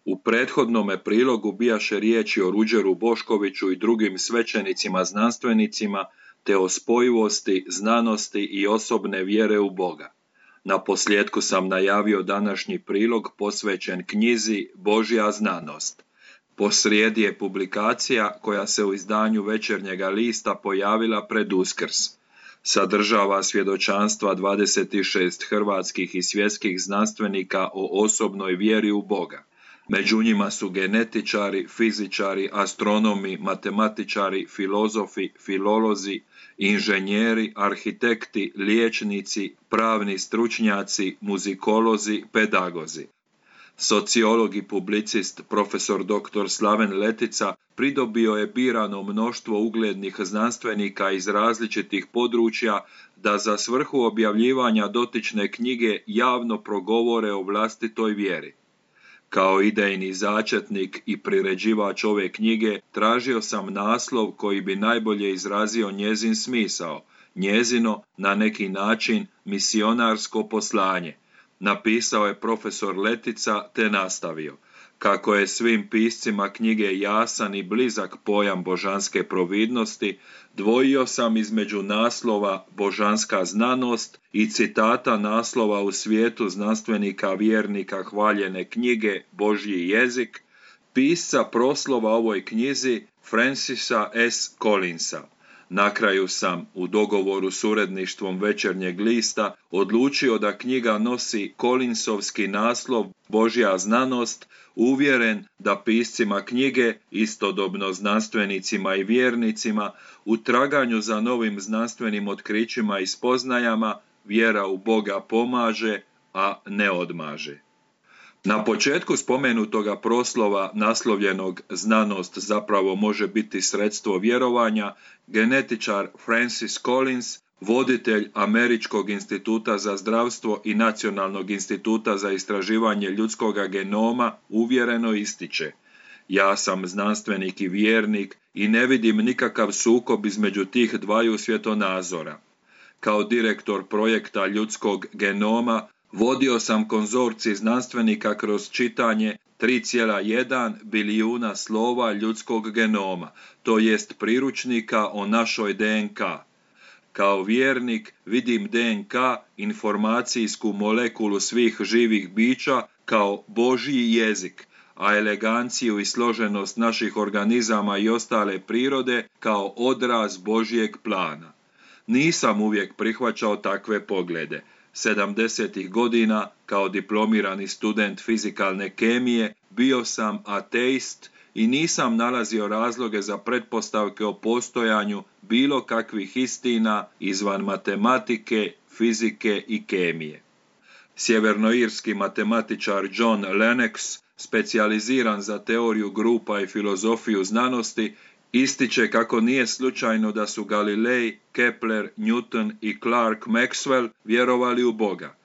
U prethodnome prilogu bijaše riječi o Ruđeru Boškoviću i drugim svećenicima znanstvenicima, te o spojivosti, znanosti i osobne vjere u Boga. Naposljetku sam najavio današnji prilog posvećen knjizi Božja znanost. Posrijedi je publikacija koja se u izdanju Večernjega lista pojavila pred Uskrs. Sadržava svjedočanstva 26 hrvatskih i svjetskih znanstvenika o osobnoj vjeri u Boga. Među njima su genetičari, fizičari, astronomi, matematičari, filozofi, filolozi, inženjeri, arhitekti, liječnici, pravni stručnjaci, muzikolozi, pedagozi. Sociolog i publicist profesor dr. Slaven Letica pridobio je birano mnoštvo uglednih znanstvenika iz različitih područja da za svrhu objavljivanja dotične knjige javno progovore o vlastitoj vjeri. Kao idejni začetnik i priređivač ove knjige tražio sam naslov koji bi najbolje izrazio njezin smisao, njezino, na neki način, misionarsko poslanje. Napisao je profesor Letica te nastavio. Kako je svim piscima knjige jasan i blizak pojam božanske providnosti, dvojio sam između naslova Božanska znanost i citata naslova u svijetu znanstvenika vjernika hvaljene knjige Božji jezik, pisca proslova ovoj knjizi Francisa S. Collinsa. Na kraju sam, u dogovoru s uredništvom Večernjeg lista, odlučio da knjiga nosi Collinsovski naslov Božja znanost, uvjeren da piscima knjige, istodobno znanstvenicima i vjernicima, u traganju za novim znanstvenim otkrićima i spoznajama, vjera u Boga pomaže, a ne odmaže. Na početku spomenutoga proslova, naslovljenog Znanost zapravo može biti sredstvo vjerovanja, genetičar Francis Collins, voditelj Američkog instituta za zdravstvo i Nacionalnog instituta za istraživanje ljudskoga genoma, uvjereno ističe: ja sam znanstvenik i vjernik i ne vidim nikakav sukob između tih dvaju svjetonazora. Kao direktor projekta ljudskog genoma vodio sam konzorcij znanstvenika kroz čitanje 3,1 bilijuna slova ljudskog genoma, to jest priručnika o našoj DNK. Kao vjernik vidim DNK, informacijsku molekulu svih živih bića, kao Božji jezik, a eleganciju i složenost naših organizama i ostale prirode kao odraz Božjeg plana. Nisam uvijek prihvaćao takve poglede. 70. godina, kao diplomirani student fizikalne kemije, bio sam ateist i nisam nalazio razloge za pretpostavke o postojanju bilo kakvih istina izvan matematike, fizike i kemije. Sjevernoirski matematičar John Lennox, specijaliziran za teoriju grupa i filozofiju znanosti, ističe kako nije slučajno da su Galilej, Kepler, Newton i Clark Maxwell vjerovali u Boga.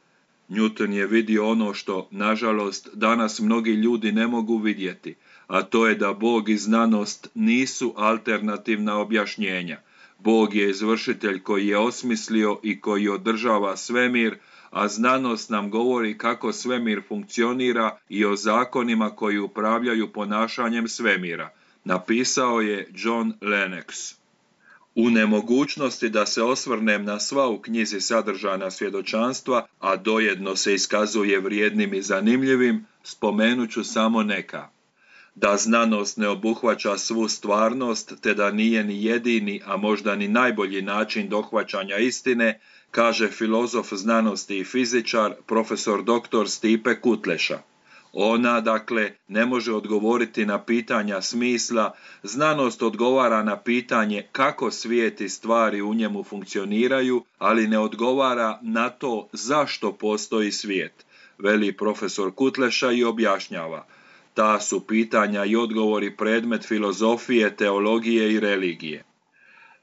Newton je vidio ono što, nažalost, danas mnogi ljudi ne mogu vidjeti, a to je da Bog i znanost nisu alternativna objašnjenja. Bog je izvršitelj koji je osmislio i koji održava svemir, a znanost nam govori kako svemir funkcionira i o zakonima koji upravljaju ponašanjem svemira. Napisao je John Lennox. U nemogućnosti da se osvrnem na sva u knjizi sadržana svjedočanstva, a dojedno se iskazuje vrijednim i zanimljivim, spomenut ću samo neka. Da znanost ne obuhvaća svu stvarnost, te da nije ni jedini, a možda ni najbolji način dohvaćanja istine, kaže filozof znanosti i fizičar, profesor dr. Stipe Kutleša. Ona, dakle, ne može odgovoriti na pitanja smisla, znanost odgovara na pitanje kako svijet i stvari u njemu funkcioniraju, ali ne odgovara na to zašto postoji svijet, veli profesor Kutleša i objašnjava. Ta su pitanja i odgovori predmet filozofije, teologije i religije.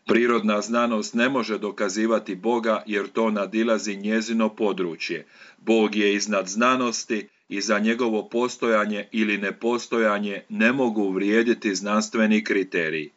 Prirodna znanost ne može dokazivati Boga jer to nadilazi njezino područje. Bog je iznad znanosti i za njegovo postojanje ili nepostojanje ne mogu vrijediti znanstveni kriteriji.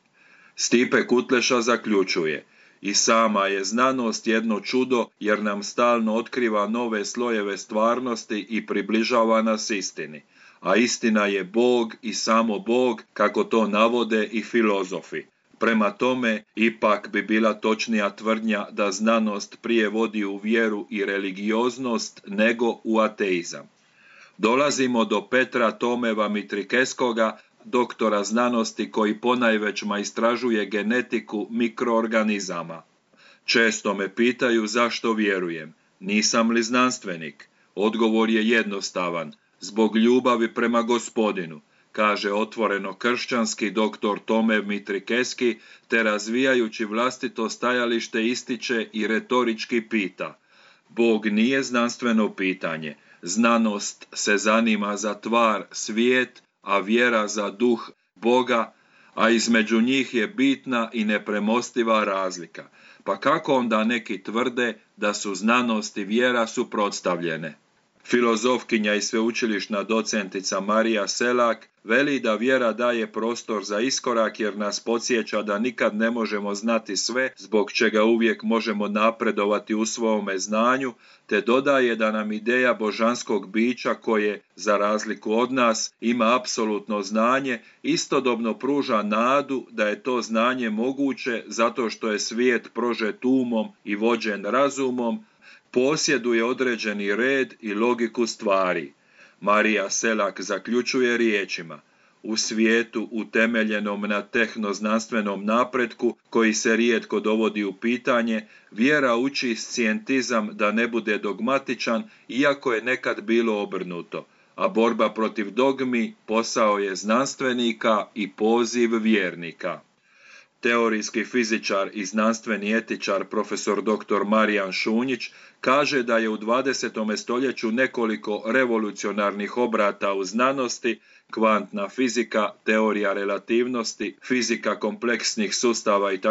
Stipe Kutleša zaključuje: i sama je znanost jedno čudo jer nam stalno otkriva nove slojeve stvarnosti i približava nas istini. a istina je Bog i samo Bog, kako to navode i filozofi. Prema tome, ipak bi bila točnija tvrdnja da znanost prije vodi u vjeru i religioznost nego u ateizam. Dolazimo do Petra Tomeva Mitrikeskoga, doktora znanosti koji ponajvećma istražuje genetiku mikroorganizama. Često me pitaju zašto vjerujem. Nisam li znanstvenik? Odgovor je jednostavan. Zbog ljubavi prema Gospodinu, kaže otvoreno kršćanski doktor Tomev Mitrikeski, te razvijajući vlastito stajalište ističe i retorički pita. Bog nije znanstveno pitanje. Znanost se zanima za tvar, svijet, a vjera za duh Boga, a između njih je bitna i nepremostiva razlika. Pa kako onda neki tvrde da su znanost i vjera suprotstavljene? Filozofkinja i sveučilišna docentica Marija Selak veli da vjera daje prostor za iskorak jer nas podsjeća da nikad ne možemo znati sve, zbog čega uvijek možemo napredovati u svome znanju, te dodaje da nam ideja božanskog bića koje, za razliku od nas, ima apsolutno znanje, istodobno pruža nadu da je to znanje moguće zato što je svijet prožet umom i vođen razumom, posjeduje određeni red i logiku stvari. Marija Selak zaključuje riječima: u svijetu utemeljenom na tehnoznanstvenom napretku, koji se rijetko dovodi u pitanje, vjera uči scijentizam da ne bude dogmatičan, iako je nekad bilo obrnuto, a borba protiv dogmi posao je znanstvenika i poziv vjernika. Teorijski fizičar i znanstveni etičar profesor dr. Marijan Šunjić kaže da je u 20. stoljeću nekoliko revolucionarnih obrata u znanosti, kvantna fizika, teorija relativnosti, fizika kompleksnih sustava itd.,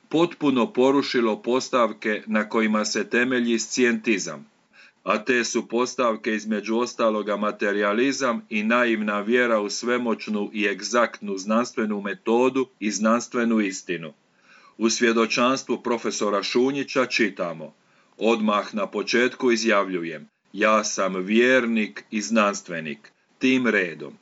potpuno porušilo postavke na kojima se temelji scijentizam. A te su postavke između ostaloga materijalizam i naivna vjera u svemoćnu i egzaktnu znanstvenu metodu i znanstvenu istinu. U svjedočanstvu profesora Šunjića čitamo: odmah na početku izjavljujem, ja sam vjernik i znanstvenik, tim redom.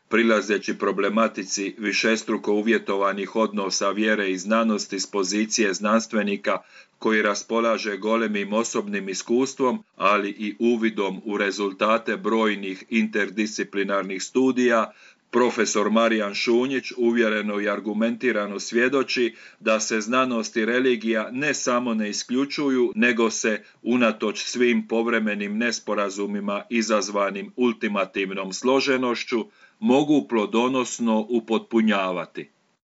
Prilazeći problematici višestruko uvjetovanih odnosa vjere i znanosti s pozicije znanstvenika koji raspolaže golemim osobnim iskustvom, ali i uvidom u rezultate brojnih interdisciplinarnih studija, profesor Marijan Šunjić uvjereno i argumentirano svjedoči da se znanost i religija ne samo ne isključuju, nego se, unatoč svim povremenim nesporazumima izazvanim ultimativnom složenošću, mogu plodonosno upotpunjavati.